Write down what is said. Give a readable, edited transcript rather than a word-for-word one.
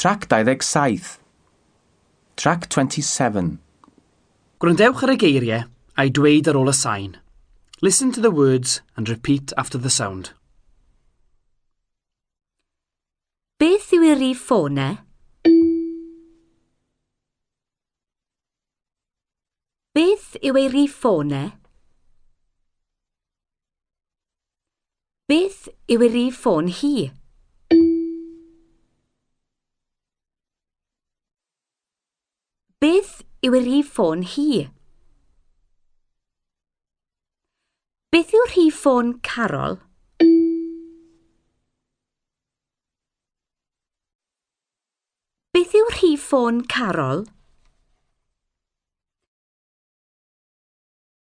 Trac 27. Trac 27. Gwrandewch ar y geiriau a'i dweud ar ôl y sain. Listen to the words and repeat after the sound. Beth yw ei rif ffôn e? Beth yw ei rif ffôn e? Beth yw ei rif ffôn hi? Beth yw ei rif ffôn hi? Beth yw rhif ffôn Carol? Beth yw rhif ffôn Carol?